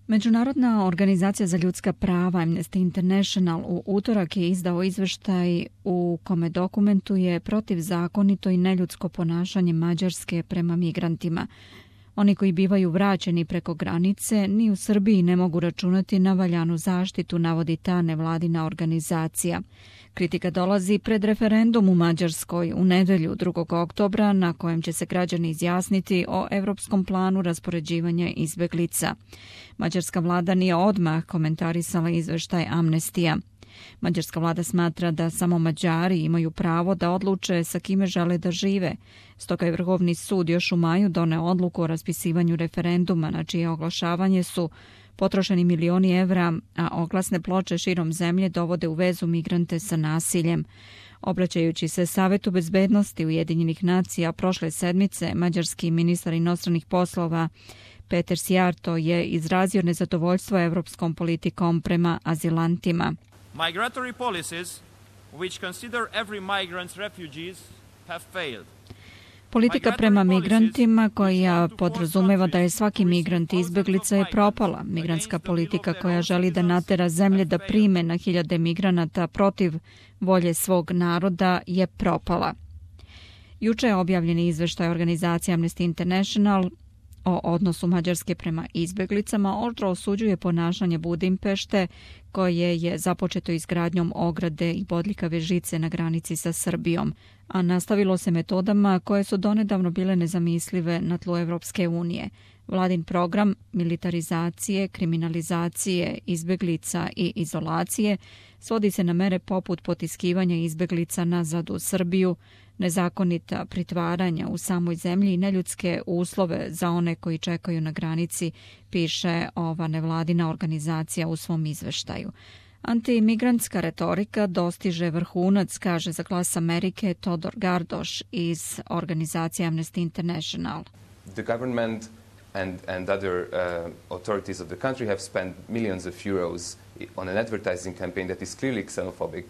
Međunarodna organizacija za ljudska prava Amnesty International u utorak je izdao izveštaj u kome dokumentuje protivzakonito i neljudsko ponašanje Mađarske prema migrantima. Oni koji bivaju vraćeni preko granice ni u Srbiji ne mogu računati na valjanu zaštitu, navodi ta nevladina organizacija. Kritika dolazi pred referendum u Mađarskoj u nedelju 2. oktobra na kojem će se građani izjasniti o evropskom planu raspoređivanja izbeglica. Mađarska vlada nije odmah komentarisala izveštaj Amnestija. Mađarska vlada smatra da samo Mađari imaju pravo da odluče sa kime žele da žive. Stoga je Vrhovni sud još u maju doneo odluku o raspisivanju referenduma na čije oglašavanje su potrošeni milioni evra, a oglasne ploče širom zemlje dovode u vezu migrante sa nasiljem. Obraćajući se Savetu bezbednosti Ujedinjenih nacija prošle sedmice, mađarski ministar inostranih poslova Peter Sijarto je izrazio nezadovoljstvo evropskom politikom prema azilantima. Migratory policies which consider every migrant refugees have failed. Politika prema migrantima koja podrazumeva da je svaki migrant izbeglica je propala. Migrantska politika koja želi da natera zemlje da prime na hiljade migranata protiv volje svog naroda je propala. Juče je objavljen izveštaj organizacije Amnesty International o odnosu Mađarske prema izbeglicama. Oštro osuđuje ponašanje Budimpešte koje je započeto izgradnjom ograde i bodljikave žice na granici sa Srbijom, a nastavilo se metodama koje su donedavno bile nezamislive na tlu Evropske unije. Vladin program militarizacije, kriminalizacije, izbeglica i izolacije svodi se na mere poput potiskivanja izbeglica nazad u Srbiju, nezakonita pritvaranja u samoj zemlji i neljudske uslove za one koji čekaju na granici, piše ova nevladina organizacija u svom izveštaju. Antimigrantska retorika dostiže vrhunac, kaže za Glas Amerike Todor Gardoš iz organizacije Amnesty International. The government and other authorities of the country have spent millions of euros on an advertising campaign that is clearly xenophobic.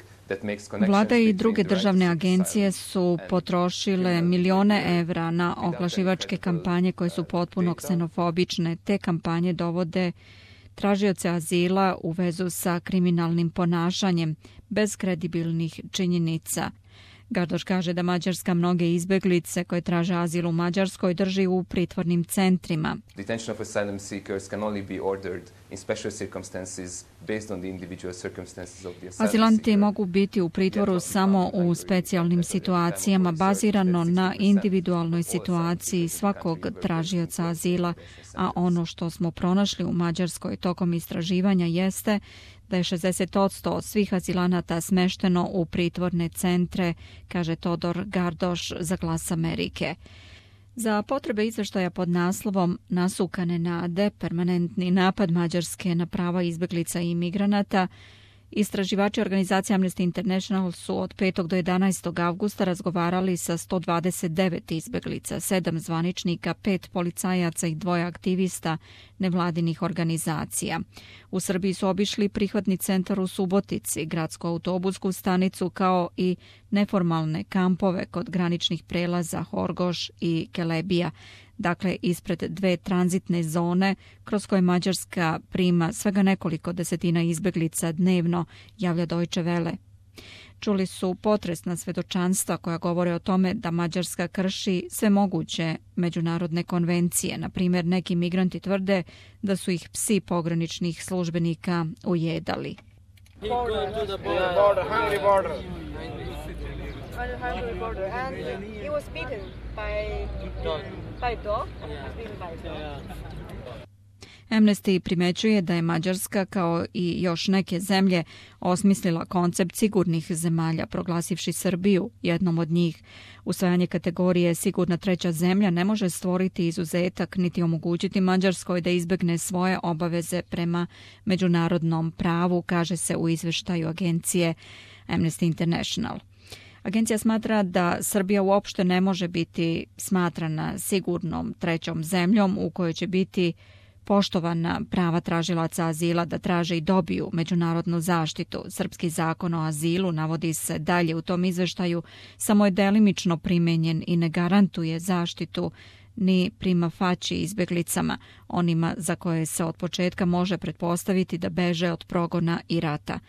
Vlada i druge državne agencije su potrošile milione evra na oglašivačke kampanje koje su potpuno ksenofobične. Te kampanje dovode tražioce azila u vezu sa kriminalnim ponašanjem bez kredibilnih činjenica. Gardoš kaže da Mađarska mnoge izbeglice koje traže azil u Mađarskoj drži u pritvornim centrima. Detention of asylum seekers can only be ordered in special circumstances based on the individual circumstances of the asylum. Azilanti mogu biti u pritvoru samo u specijalnim situacijama bazirano na individualnoj situaciji svakog tražioca azila, a ono što smo pronašli u Mađarskoj tokom istraživanja jeste da je 60% svih azilanata smešteno u pritvorne centre, kaže Todor Gardoš za Glas Amerike. Za potrebe izveštaja pod naslovom Nasukane nade, permanentni napad Mađarske na prava izbeglica i imigranata, istraživači organizacije Amnesty International su od 5. do 11. avgusta razgovarali sa 129 izbeglica, 7 zvaničnika, 5 policajaca i 2 aktivista nevladinih organizacija. U Srbiji su obišli prihvatni centar u Subotici, gradsku autobusku stanicu kao i neformalne kampove kod graničnih prelaza Horgoš i Kelebija. Dakle, ispred 2 tranzitne zone kroz koje Mađarska prima svega nekoliko desetina izbeglica dnevno, javlja Deutsche Welle. Čuli su potresna svedočanstva koja govore o tome da Mađarska krši sve moguće međunarodne konvencije. Na primjer, neki migranti tvrde da su ih psi pograničnih službenika ujedali. Amnesty primećuje da je Mađarska kao i još neke zemlje osmislila koncept sigurnih zemalja, proglasivši Srbiju jednom od njih. Usvajanje kategorije sigurna treća zemlja ne može stvoriti izuzetak niti omogućiti Mađarskoj da izbegne svoje obaveze prema međunarodnom pravu, kaže se u izveštaju agencije Amnesty International. Agencija smatra da Srbija uopšte ne može biti smatrana sigurnom trećom zemljom u kojoj će biti poštovana prava tražilaca azila da traže i dobiju međunarodnu zaštitu. Srpski zakon o azilu, navodi se dalje u tom izveštaju, samo je delimično primenjen i ne garantuje zaštitu ni prima facie izbjeglicama, onima za koje se od početka može pretpostaviti da beže od progona i rata.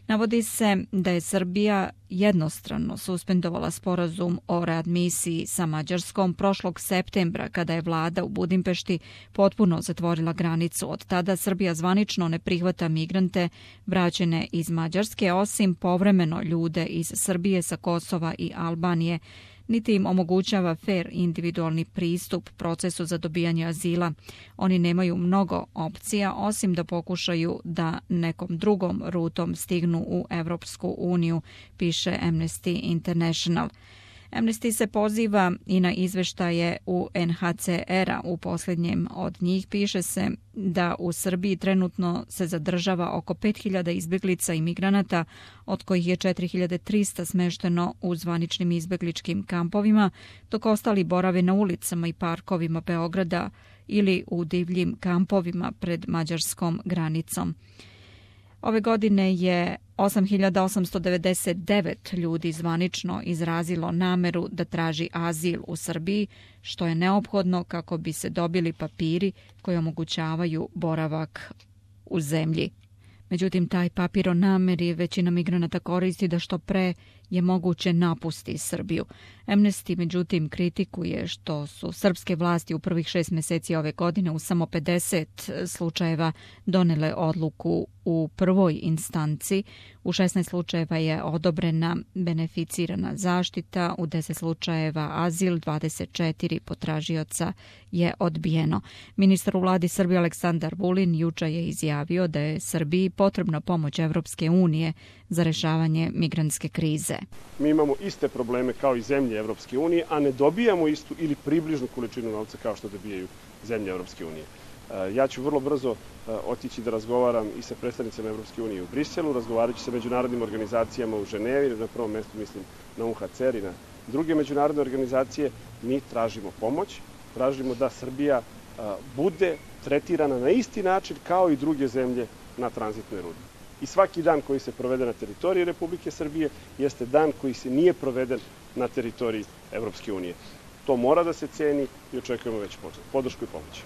Navodi se da je Srbija jednostrano suspendovala sporazum o readmisiji sa Mađarskom prošlog septembra kada je vlada u Budimpešti potpuno zatvorila granicu. Od tada Srbija zvanično ne prihvata migrante vraćene iz Mađarske, osim povremeno ljude iz Srbije, sa Kosova i Albanije, niti im omogućava fair individualni pristup procesu za dobijanje azila. Oni nemaju mnogo opcija, osim da pokušaju da nekom drugom rutom stignu u Evropsku uniju, piše Amnesty International. Amnesty se poziva i na izveštaje UNHCR-a. U posljednjem od njih piše se da u Srbiji trenutno se zadržava oko 5.000 izbjeglica i migranata, od kojih je 4.300 smešteno u zvaničnim izbjegličkim kampovima, dok ostali borave na ulicama i parkovima Beograda ili u divljim kampovima pred mađarskom granicom. Ove godine je 8.899 ljudi zvanično izrazilo nameru da traži azil u Srbiji, što je neophodno kako bi se dobili papiri koji omogućavaju boravak u zemlji. Međutim, taj papir o nameri većina migranata koristi da što pre je moguće napusti Srbiju. Amnesty, međutim, kritikuje što su srpske vlasti u prvih 6 mjeseci ove godine u samo 50 slučajeva donele odluku u prvoj instanci. U 16 slučajeva je odobrena beneficirana zaštita, u 10 slučajeva azil, 24 potražioca je odbijeno. Ministar u vladi Srbije Aleksandar Vulin juče je izjavio da je Srbiji potrebna pomoć Evropske unije za rešavanje migrantske krize. Mi imamo iste probleme kao i zemlje Evropske unije, a ne dobijamo istu ili približnu količinu novca kao što dobijaju zemlje Evropske unije. Ja ću vrlo brzo otići da razgovaram i sa predstavnicama Evropske unije u Briselu, razgovarajući sa međunarodnim organizacijama u Ženevi, na prvom mjestu mislim na UNHCR i na druge međunarodne organizacije. Mi tražimo pomoć, tražimo da Srbija bude tretirana na isti način kao i druge zemlje na tranzitnoj rudi. I svaki dan koji se provede na teritoriji Republike Srbije jeste dan koji se nije proveden na teritoriji Evropske unije. To mora da se ceni i očekujemo već podršku i pomoć.